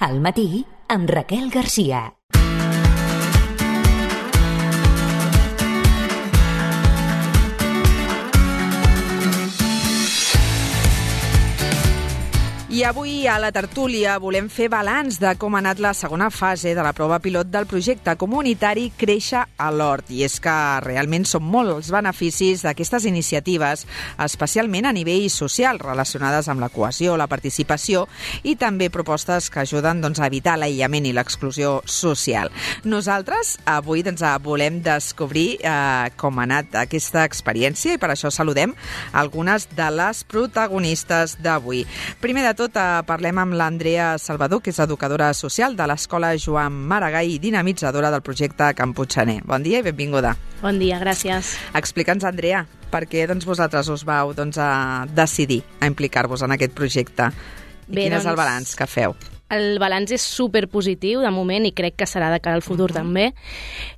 Al matí, amb Raquel Garcia. I avui a la tertúlia volem fer balanç de com ha anat la segona fase de la prova pilot del projecte comunitari Créixer a l'Hort. I és que realment són molts els beneficis d'aquestes iniciatives, especialment a nivell social, relacionades amb la cohesió, la participació i també propostes que ajuden a evitar l'aïllament i l'exclusió social. Nosaltres avui volem descobrir com ha anat aquesta experiència i per això saludem algunes de les protagonistes d'avui. Primer de tot, parlem amb l'Andrea Salvador, que és educadora social de l'Escola Joan Maragall i dinamitzadora del projecte Camputxaner. Bon dia i benvinguda. Bon dia, gràcies. Explica'ns, Andrea, per què vosaltres us vau decidir a implicar-vos en aquest projecte? I quin és el balanç que feu? El balanç és superpositiu de moment i crec que serà de cara al futur també.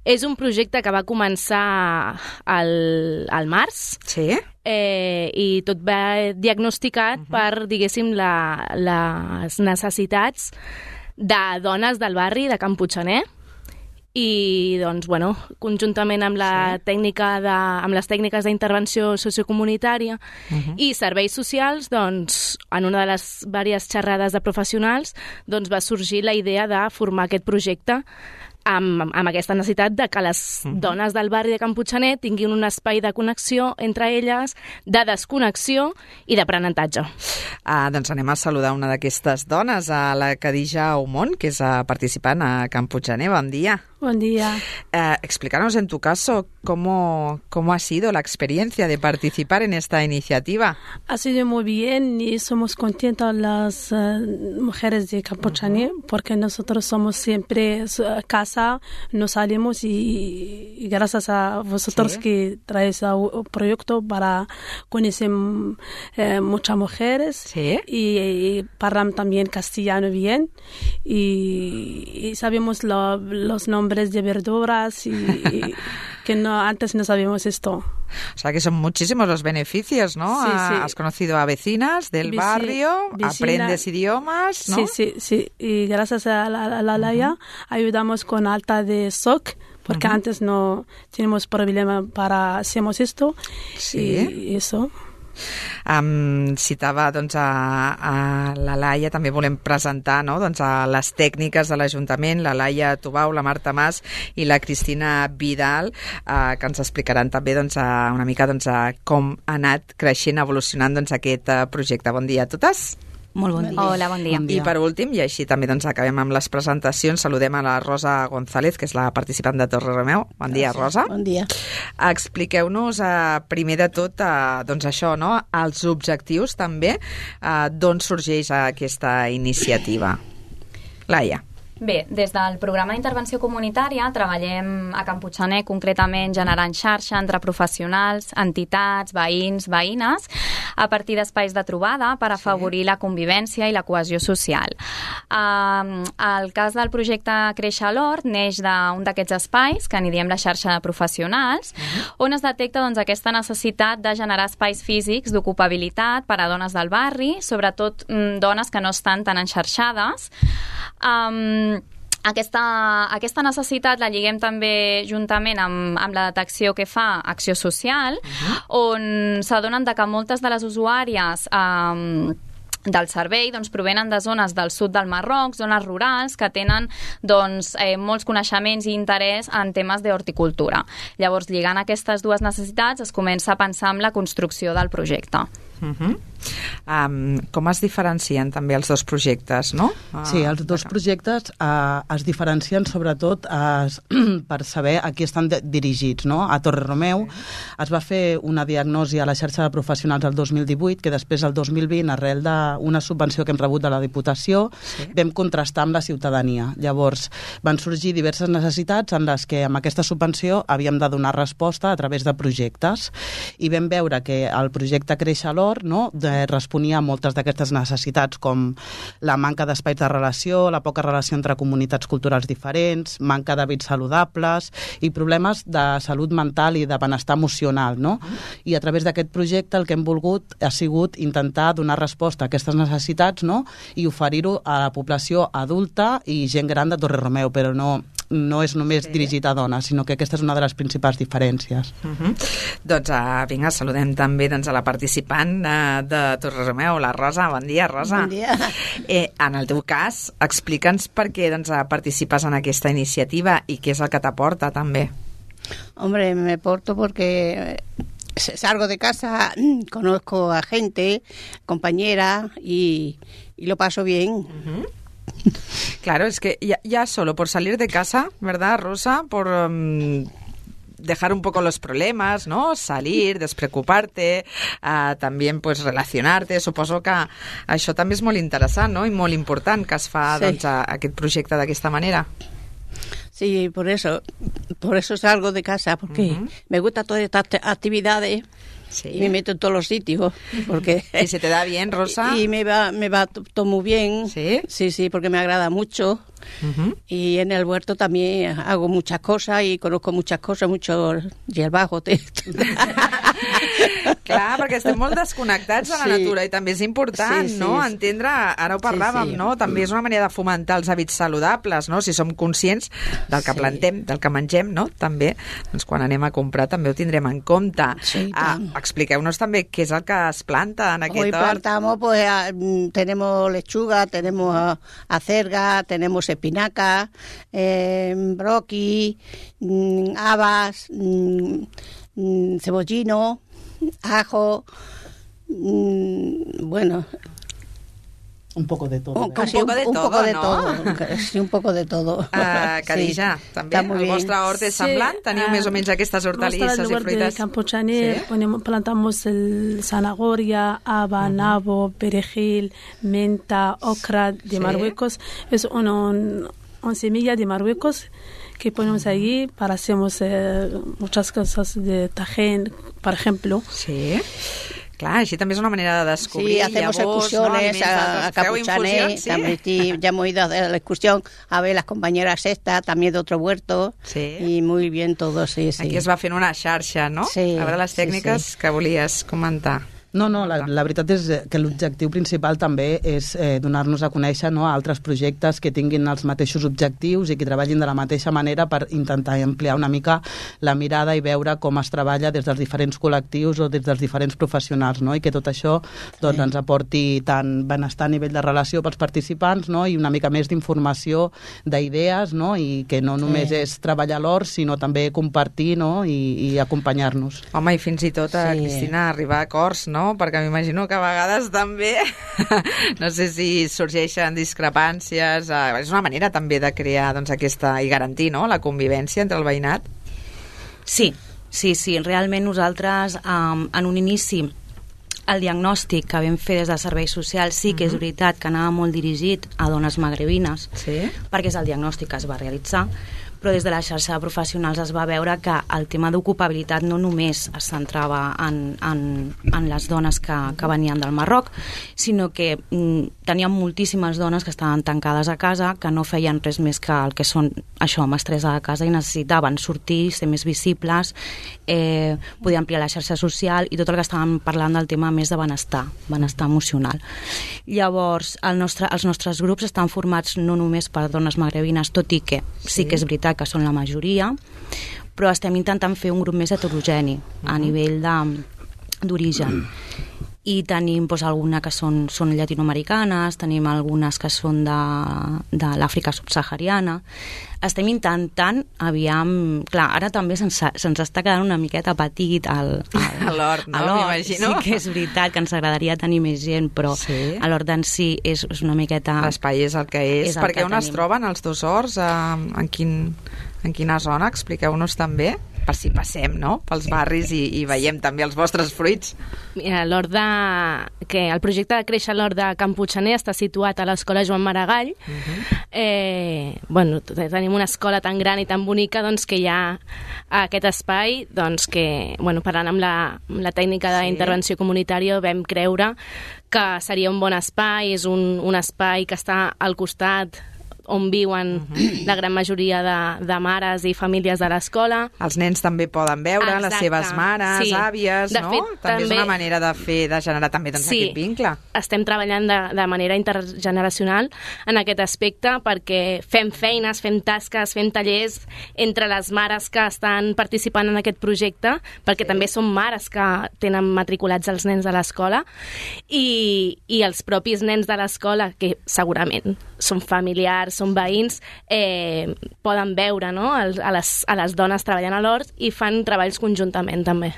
És un projecte que va començar al març. Sí. I tot va diagnosticat per, diguéssim, les necessitats de dones del barri de Camputxaner. I, conjuntament amb les tècniques d'intervenció sociocomunitària i serveis socials, en una de les diverses xerrades de professionals, va sorgir la idea de formar aquest projecte amb aquesta necessitat de que les dones del barri de Camputxaner tinguin un espai de connexió entre elles, de desconnexió i d'aprenentatge. Anem a saludar una d'aquestes dones, a la Khadija Oumon, que és participant a Camputxaner. Bon dia. Buen día. Explícanos en tu caso cómo ha sido la experiencia de participar en esta iniciativa. Ha sido muy bien y somos contentas las mujeres de Camputxaner porque nosotros somos siempre casa, no salimos y gracias a vosotros que traéis un proyecto para conocer muchas mujeres y hablan también castellano bien y sabemos los nombres de verduras y que antes no sabíamos esto. O sea que son muchísimos los beneficios, ¿no? Sí. Has conocido a vecinas del barrio, aprendes idiomas, ¿no? Sí. Y gracias a la Laia ayudamos con alta de SOC, porque antes no teníamos problema para hacemos esto. Sí. Y eso. Citava a la Laia, també volem presentar a les tècniques de l'Ajuntament, la Laia Tubau, la Marta Mas i la Cristina Vidal, que ens explicaran també una mica com ha anat creixent, evolucionant aquest projecte. Bon dia a totes. Molt bon dia. Hola, bon dia. I per últim, i així també acabem amb les presentacions, saludem a la Rosa González, que és la participant de Torrelameu. Bon dia, Rosa. Bon dia. Expliqueu-nos primer de tot això, els objectius també, d'on sorgeix aquesta iniciativa. Laia. Bé, des del programa d'intervenció comunitària treballem a Camputxaner concretament generant xarxa entre professionals, entitats, veïns, veïnes, a partir d'espais de trobada per afavorir la convivència i la cohesió social. El cas del projecte Créixer a l'Hort neix d'un d'aquests espais, que n'hi diem la xarxa de professionals, on es detecta aquesta necessitat de generar espais físics d'ocupabilitat per a dones del barri, sobretot dones que no estan tan enxarxades. Aquesta necessitat la lliguem també juntament amb la detecció que fa Acció Social, on s'adonen que moltes de les usuàries del servei provenen de zones del sud del Marroc, zones rurals, que tenen molts coneixements i interès en temes d'horticultura. Llavors, lligant aquestes dues necessitats, es comença a pensar en la construcció del projecte. Com es diferencien també els dos projectes, no? Sí, els dos projectes es diferencien sobretot per saber a qui estan dirigits, no? A Torrelameu es va fer una diagnosi a la xarxa de professionals el 2018, que després el 2020, arrel d'una subvenció que hem rebut de la Diputació, vam contrastar amb la ciutadania. Llavors van sorgir diverses necessitats en les que amb aquesta subvenció havíem de donar resposta a través de projectes i vam veure que el projecte Créixer a l'Hort, no? responia a moltes d'aquestes necessitats, com la manca d'espais de relació, la poca relació entre comunitats culturals diferents, manca d'hàbits saludables i problemes de salut mental i de benestar emocional, no? I a través d'aquest projecte el que hem volgut ha sigut intentar donar resposta a aquestes necessitats, no? I oferir-ho a la població adulta i gent gran de Torrelameu, però no és només dirigit a dones, sinó que aquesta és una de les principals diferències. Doncs vinga, saludem també a la participant de Torrelameu, la Rosa. Bon dia, Rosa. Bon dia. En el teu cas, explica'ns per què participes en aquesta iniciativa i què és el que t'aporta també. Hombre, me porto porque salgo de casa, conozco a gente, compañera y lo paso bien. Claro, es que ya solo por salir de casa, ¿verdad, Rosa? Por dejar un poco los problemas, ¿no? Salir, despreocuparte, también pues relacionarte. Suposo que això també és molt interessant, no? I molt important que es fa aquest projecte d'aquesta manera. Sí, por eso salgo de casa, porque me gusta todas estas actividades. Sí. Y me meto en todos los sitios. Porque ¿Y se te da bien, Rosa? Y me va todo muy bien. ¿Sí? Sí, porque me agrada mucho. Y en el huerto también hago muchas cosas y conozco muchas cosas, mucho hierbajo. Clar, perquè estem molt desconnectats de la natura i també és important, no? Entendre, ara ho parlàvem, no? També és una manera de fomentar els hàbits saludables, no? Si som conscients del que plantem, del que mengem, no? També, doncs quan anem a comprar també ho tindrem en compte. Expliqueu-nos també què és el que es planta en aquest hort. Hoy plantamos, pues, tenemos lechuga, tenemos acelga, tenemos espinaca, broqui, habas, cebollino, ajo, bueno, un poco de todo. Casi un poco de todo. Khadija, també el vostre hort és semblant? Teniu més o menys aquestes hortalisses i fruites? De Campochané plantamos zanahoria, haba, nabo, perejil, menta, ocra de Marruecos. Es una semilla de Marruecos que ponemos allí para hacemos muchas cosas de tajín, por ejemplo. Sí. Clar, així també és una manera de descobrir. Sí, hacemos excursiones a Campochané. Sí. Ya hemos ido a hacer la excursión a ver las compañeras estas, también de otro huerto. Sí. Y muy bien todo, sí. Aquí es va fent una xarxa, no? Sí. A veure les tècniques que volies comentar. No, la veritat és que l'objectiu principal també és donar-nos a conèixer, no, altres projectes que tinguin els mateixos objectius i que treballin de la mateixa manera per intentar ampliar una mica la mirada i veure com es treballa des dels diferents col·lectius o des dels diferents professionals, no? I que tot això doncs, ens aporti tant benestar a nivell de relació pels participants, no? I una mica més d'informació, d'idees, no? I que no només és treballar l'hort, sinó també compartir, no? I acompanyar-nos. Home, i fins i tot, Cristina, arribar a acords, no? Perquè m'imagino que a vegades també no sé si sorgeixen discrepàncies, és una manera també de crear doncs, aquesta i garantir, no?, la convivència entre el veïnat. Sí, realment nosaltres en un inici el diagnòstic que vam fer des de serveis socials sí que és veritat que anava molt dirigit a dones magrebines, perquè és el diagnòstic que es va realitzar, però des de la xarxa de professionals es va veure que el tema d'ocupabilitat no només es centrava en les dones que venien del Marroc, sinó que teníem moltíssimes dones que estaven tancades a casa, que no feien res més que el que són això, mestressa de casa, i necessitaven sortir, ser més visibles, poder ampliar la xarxa social i tot el que estàvem parlant del tema més de benestar emocional. Llavors, els nostres grups estan formats no només per dones magrebines, tot i que sí que és veritat que són la majoria, però estem intentant fer un grup més heterogeni a nivell d'origen. I tenim algunes que són llatinoamericanes, tenim algunes que són de l'Àfrica subsahariana. Estem intentant, clar, ara també se'ns està quedant una miqueta petit a l'hort, no? M'imagino. Sí que és veritat que ens agradaria tenir més gent, però a l'hort en si és una miqueta... L'espai és el que és. Perquè on es troben els dos horts? En quina zona? Expliqueu-nos també. per si passem, no?, pels barris i veiem també els vostres fruits. Mira, el projecte de Créixer l'Hort de Can Puiggener està situat a l'Escola Joan Maragall. Tenim una escola tan gran i tan bonica doncs, que hi ha aquest espai doncs, que, parlant amb la tècnica d'intervenció comunitària, vam creure que seria un bon espai. És un espai que està al costat on viuen la gran majoria de mares i famílies de l'escola. Els nens també poden veure les seves mares, àvies, no? També és una manera de generar també aquest vincle. Estem treballant de manera intergeneracional en aquest aspecte perquè fem feines, fem tasques, fem tallers entre les mares que estan participant en aquest projecte, perquè també són mares que tenen matriculats els nens de l'escola i els propis nens de l'escola, que segurament són familiars, són veïns, poden veure, no?, a les dones treballant a l'hort i fan treballs conjuntament també.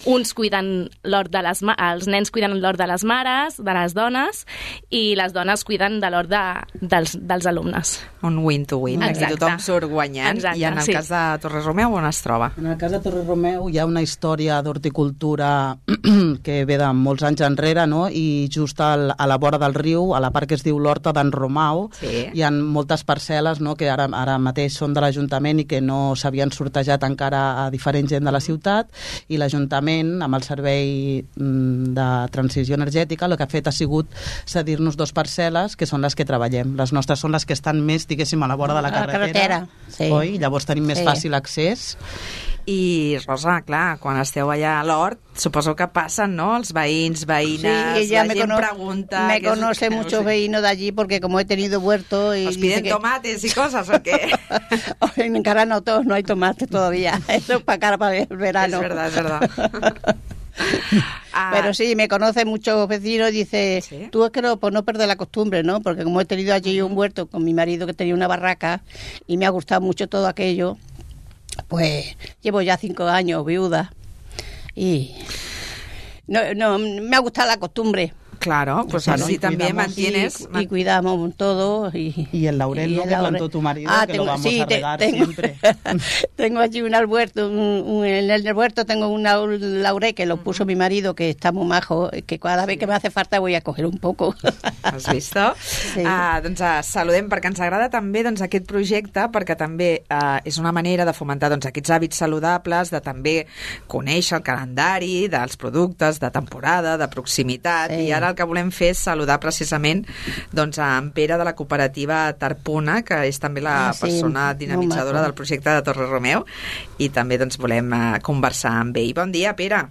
Uns cuiden l'hort els nens cuiden l'hort de les mares, de les dones, i les dones cuiden de l'hort dels alumnes. Un win-to-win, aquí tothom surt guanyant. Exacte, i en el cas de Torre-Romeu, on es troba? En el cas de Torre-Romeu hi ha una història d'horticultura que ve de molts anys enrere, no?, i just a la vora del riu, a la part que es diu l'Horta d'en Romau, hi ha moltes parcel·les, no?, que ara mateix són de l'Ajuntament i que no s'havien sortejat encara a diferent gent de la ciutat, i l'Ajuntament, amb el Servei de Transició Energètica, el que ha fet ha sigut cedir-nos 2 parcel·les, que són les que treballem. Les nostres són les que estan més, diguéssim, a la vora de la carretera. Sí. Oi? Llavors tenim més fàcil accés. I, Rosa, clar, quan esteu allà a l'hort, suposo que passen, ¿no?, els veïns, veïnes, la gent pregunta... Me conoce muchos vecinos de allí porque como he tenido huerto... ¿Os piden tomates y cosas o qué? En cara no hay tomates todavía. Eso es para el verano. Es verdad. Pero sí, me conocen muchos vecinos y dice, tú es que no perder la costumbre, ¿no? Porque como he tenido allí un huerto con mi marido que tenía una barraca y me ha gustado mucho todo aquello, pues llevo ya 5 años viuda y no me ha gustado la costumbre. Claro, pues así también mantienes... Y cuidamos todo. Y el laurel, ¿no?, que plantó tu marido, que lo vamos a regar siempre. Tengo allí un huerto, en el huerto tengo un laurel que lo puso mi marido, que está muy majo, que cada vez que me hace falta voy a coger un poco. Has vist? Sí. Saludem, perquè ens agrada també aquest projecte, perquè també és una manera de fomentar aquests hàbits saludables, de també conèixer el calendari dels productes de temporada, de proximitat, i ara el que volem fer és saludar precisament a en Pere de la cooperativa Tarpuna, que és també la persona dinamitzadora del projecte de Torre-Romeu, i també volem conversar amb ell. Bon dia, Pere.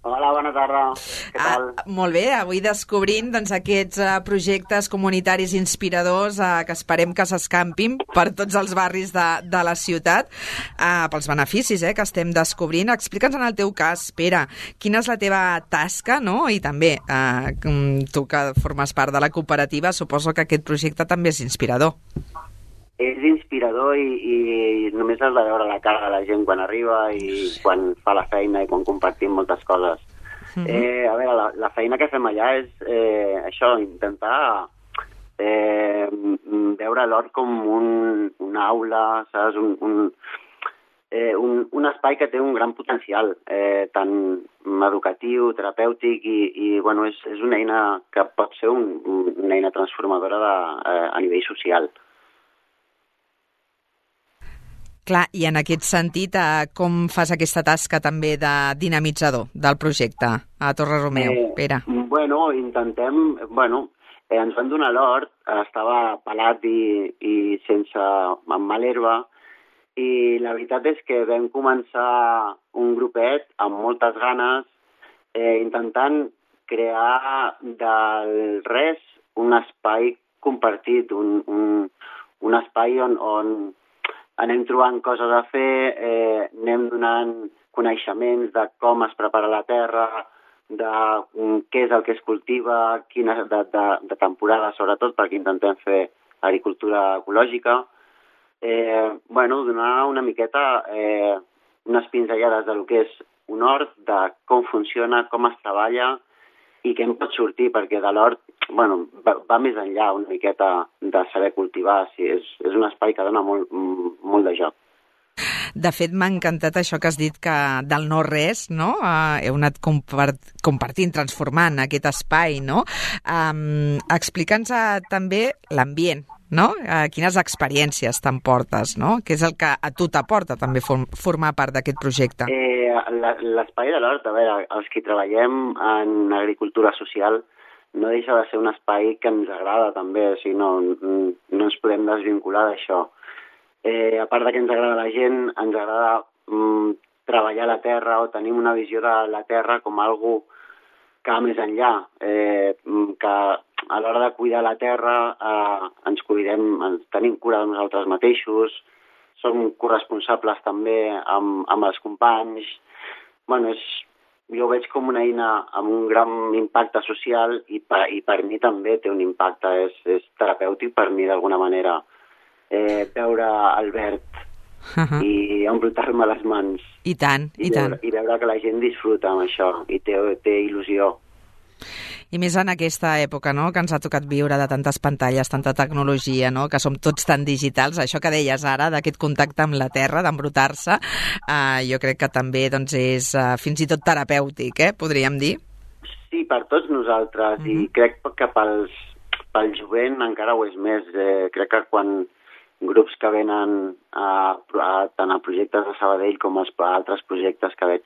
Hola, bona tarda. Què tal? Molt bé, avui descobrint aquests projectes comunitaris inspiradors que esperem que s'escampin per tots els barris de la ciutat, pels beneficis que estem descobrint. Explica'ns en el teu cas, Pere, quina és la teva tasca, no? I també, tu que formes part de la cooperativa, suposo que aquest projecte també és inspirador. És inspirador i només has de veure la cara de la gent quan arriba i quan fa la feina i quan compartim moltes coses. A veure, la feina que fem allà és això, intentar veure l'hort com una aula, saps? Un espai que té un gran potencial, tant educatiu, terapèutic i bueno, és una eina que pot ser una eina transformadora a nivell social. Clar, i en aquest sentit, com fas aquesta tasca també de dinamitzador del projecte a Torre-Romeu, Pere? Bueno, intentem... ens van donar l'hort, estava pelat i sense amb mal herba, i la veritat és que vam començar un grupet amb moltes ganes, intentant crear del res un espai compartit, un espai on anem trobant coses a fer, anem donant coneixements de com es prepara la terra, de què és el que es cultiva, quina de temporada, sobretot, perquè intentem fer agricultura ecològica. Donar una miqueta unes pinzellades del que és un hort, de com funciona, com es treballa i què en pot sortir, perquè de l'hort va més enllà una miqueta de saber cultivar. Sí, és un espai que dona molt de joc. De fet, m'ha encantat això que has dit que del no-res, no? Heu anat compartint, transformant aquest espai, no? Explica'ns també l'ambient, no? Quines experiències t'emportes, no? Què és el que a tu t'aporta també formar part d'aquest projecte? L'espai de l'hort, a veure, els que treballem en agricultura social no deixa de ser un espai que ens agrada també, o sigui, no ens podem desvincular d'això. A part que ens agrada la gent, ens agrada treballar la terra o tenim una visió de la terra com algo que va més enllà, que a l'hora de cuidar la terra ens tenim cura de nosaltres mateixos, som corresponsables també amb els companys. Bueno, jo ho veig com una eina amb un gran impacte social i per mi també té un impacte, és terapèutic per mi d'alguna manera. Veure el verd i embrutar-me les mans. I tant. I veure que la gent disfruta amb això i té il·lusió. I més en aquesta època, no?, que ens ha tocat viure de tantes pantalles, tanta tecnologia, no?, que som tots tan digitals. Això que deies ara, d'aquest contacte amb la terra, d'embrutar-se, jo crec que també doncs, és fins i tot terapèutic, podríem dir. Sí, per tots nosaltres, i crec que pel jovent encara ho és més. Crec que quan grups que venen tant a projectes de Sabadell com a altres projectes que veig,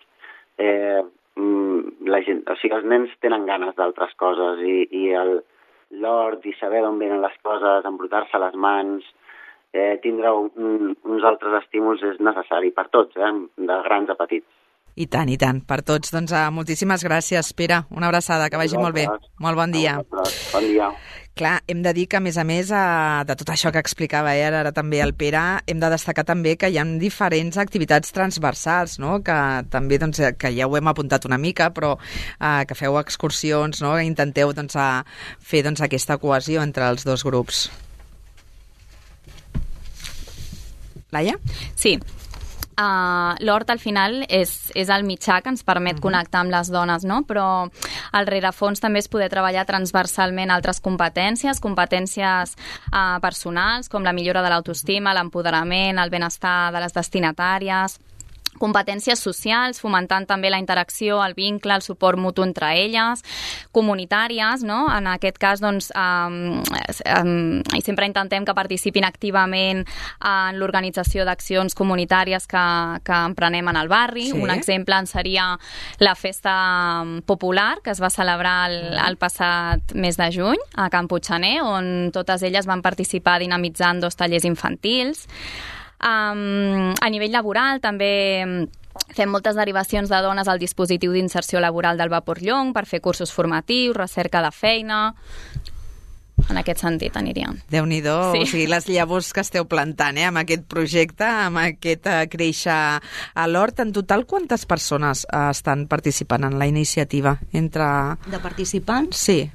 la gent, o sigui, els nens tenen ganes d'altres coses i l'hort i saber d'on venen les coses, embrutar-se les mans, tindre uns altres estímuls és necessari per tots, de grans a petits. I tant, per tots. Doncs moltíssimes gràcies, Pere. Una abraçada, que vagi molt bé. Molt bon dia. Bon dia. Clar, hem de dir que, a més, de tot això que explicava ara també el Pere, hem de destacar també que hi ha diferents activitats transversals, no?, que també, doncs, que ja ho hem apuntat una mica, però que feu excursions, no?, intenteu doncs, fer doncs, aquesta cohesió entre els dos grups. Laia? Sí. L'hort al final és el mitjà que ens permet connectar amb les dones, no? Però al rerefons també és poder treballar transversalment altres competències personals, com la millora de l'autoestima, l'empoderament, el benestar de les destinatàries, competències socials, fomentant també la interacció, el vincle, el suport mutu entre elles, comunitàries, no? En aquest cas, doncs, i sempre intentem que participin activament en l'organització d'accions comunitàries que emprenem en el barri. Sí. Un exemple en seria la festa popular, que es va celebrar el passat mes de juny a Can Puigxaner, on totes elles van participar dinamitzant 2 tallers infantils. A nivell laboral també fem moltes derivacions de dones al dispositiu d'inserció laboral del Vapor Llong per fer cursos formatius, recerca de feina. En aquest sentit aniríem. Déu-n'hi-do, sí. O sigui, les llavors que esteu plantant amb aquest projecte, amb aquest créixer a l'hort. En total, quantes persones estan participant en la iniciativa? De participants? Sí.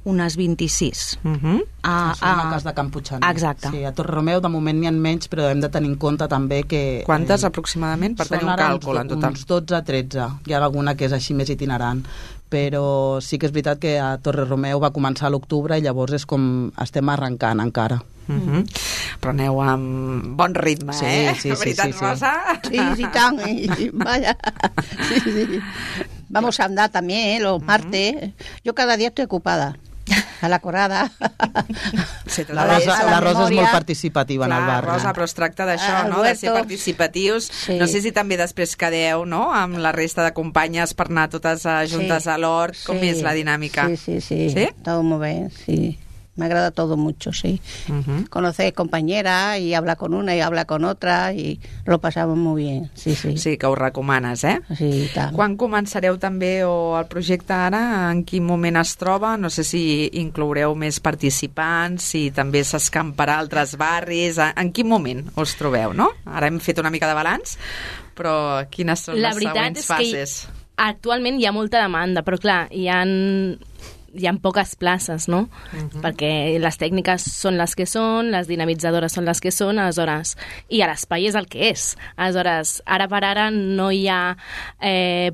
Unes 26. Això és en el cas de Can Puigxaner. Exacte. Sí, a Torreromeu de moment n'hi ha menys, però hem de tenir en compte també que... Quantes aproximadament, per tenir un càlcul en total? Uns 12-13. Hi ha alguna que és així més itinerant. Però sí que és veritat que a Torreromeu va començar a l'octubre i llavors és com estem arrencant encara. Però aneu amb bon ritme, sí, veritat, sí. Rosa? Sí, tant, vaya. Sí. Vamos a andar también los martes. Yo cada día estoy ocupada. A la corada. La Rosa és molt participativa en el barri. Rosa, però es tracta d'això, no?, de ser participatius. Sí. No sé si també després quedeu, no?, amb la resta de companyes per anar totes juntes a l'hort. Com és la dinàmica? Sí. ¿Sí? Todo muy bien, sí. Me agrada todo mucho, sí. Conocer compañeras y hablar con una y hablar con otra y lo pasamos muy bien, sí. Sí, que ho recomanes, Sí, tant. Quan començareu també el projecte ara? En quin moment es troba? No sé si incloureu més participants, si també s'escamparà a altres barris. En quin moment us trobeu, no? Ara hem fet una mica de balanç, però quines són les següents fases? La veritat és que actualment hi ha molta demanda, però clar, hi ha poques places, no? Perquè les tècniques són les que són, les dinamitzadores són les que són, aleshores, i l'espai és el que és. Aleshores, ara per ara no hi ha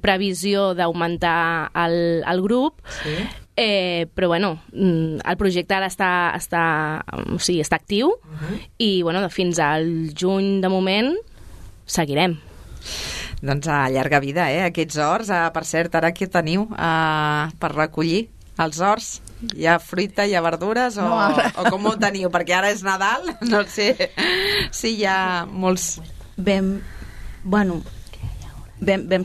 previsió d'augmentar el grup, però bueno, el projecte ara està actiu i bueno, fins al juny de moment seguirem. Doncs a llarga vida, aquests horts. Per cert, ara què teniu per recollir els horts? Hi ha fruita, hi ha verdures o com ho teniu? Perquè ara és Nadal, no sé si hi ha molts... Vam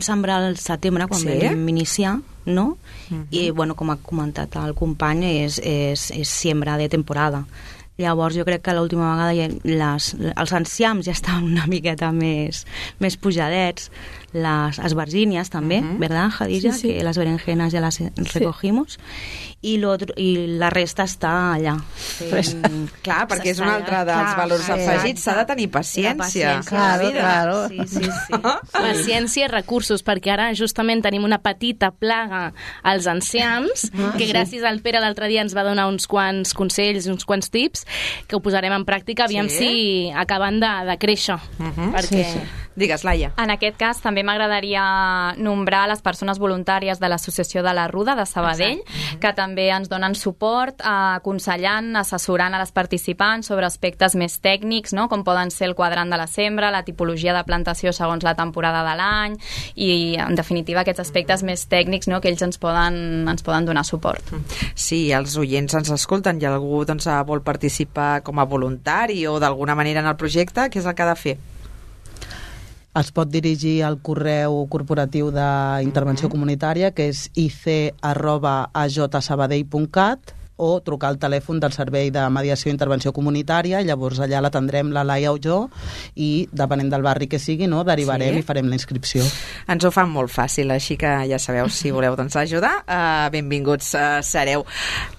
sembrar al setembre quan vam iniciar, no? I, com ha comentat el company, és siembra de temporada. Llavors jo crec que l'última vegada els enciams ja estaven una miqueta més pujadets, les esbargínies també, ¿verdad, Jadilla? Sí. Que las berenjenas ya las recogimos i la resta està allà. Clar, perquè és un altre dels valors afegits, s'ha de tenir paciència. Claro. Sí. Paciència i recursos, perquè ara justament tenim una petita plaga als enciams, que gràcies al Pere l'altre dia ens va donar uns quants consells, uns quants tips, que ho posarem en pràctica, aviam si acaben de créixer. Perquè... Digues, Laia. En aquest cas també m'agradaria nombrar les persones voluntàries de l'Associació de la Ruda de Sabadell, que també ens donen suport, aconsellant, assessorant a les participants sobre aspectes més tècnics, no? Com poden ser el quadrant de la sembra, la tipologia de plantació segons la temporada de l'any i, en definitiva, aquests aspectes més tècnics, no? Que ells ens poden donar suport. Sí, els oients ens escolten i algú vol participar com a voluntari o d'alguna manera en el projecte, què és el que ha de fer? Es pot dirigir al correu corporatiu d'intervenció comunitària, que és ic@ajsabadell.cat, o trucar al telèfon del Servei de Mediació i Intervenció Comunitària, llavors allà l'atendrem la Laia o jo i, depenent del barri que sigui, no, derivarem i farem la inscripció. Ens ho fan molt fàcil, així que ja sabeu, si voleu ajudar, benvinguts sereu.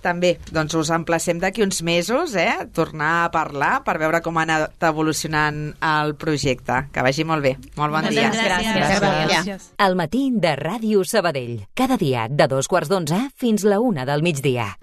També us emplacem d'aquí uns mesos, tornar a parlar per veure com ha anat evolucionant el projecte. Que vagi molt bé. Molt bon dia. Gràcies. Al matí de Ràdio Sabadell. Cada dia de 2:15 fins la 1 del migdia.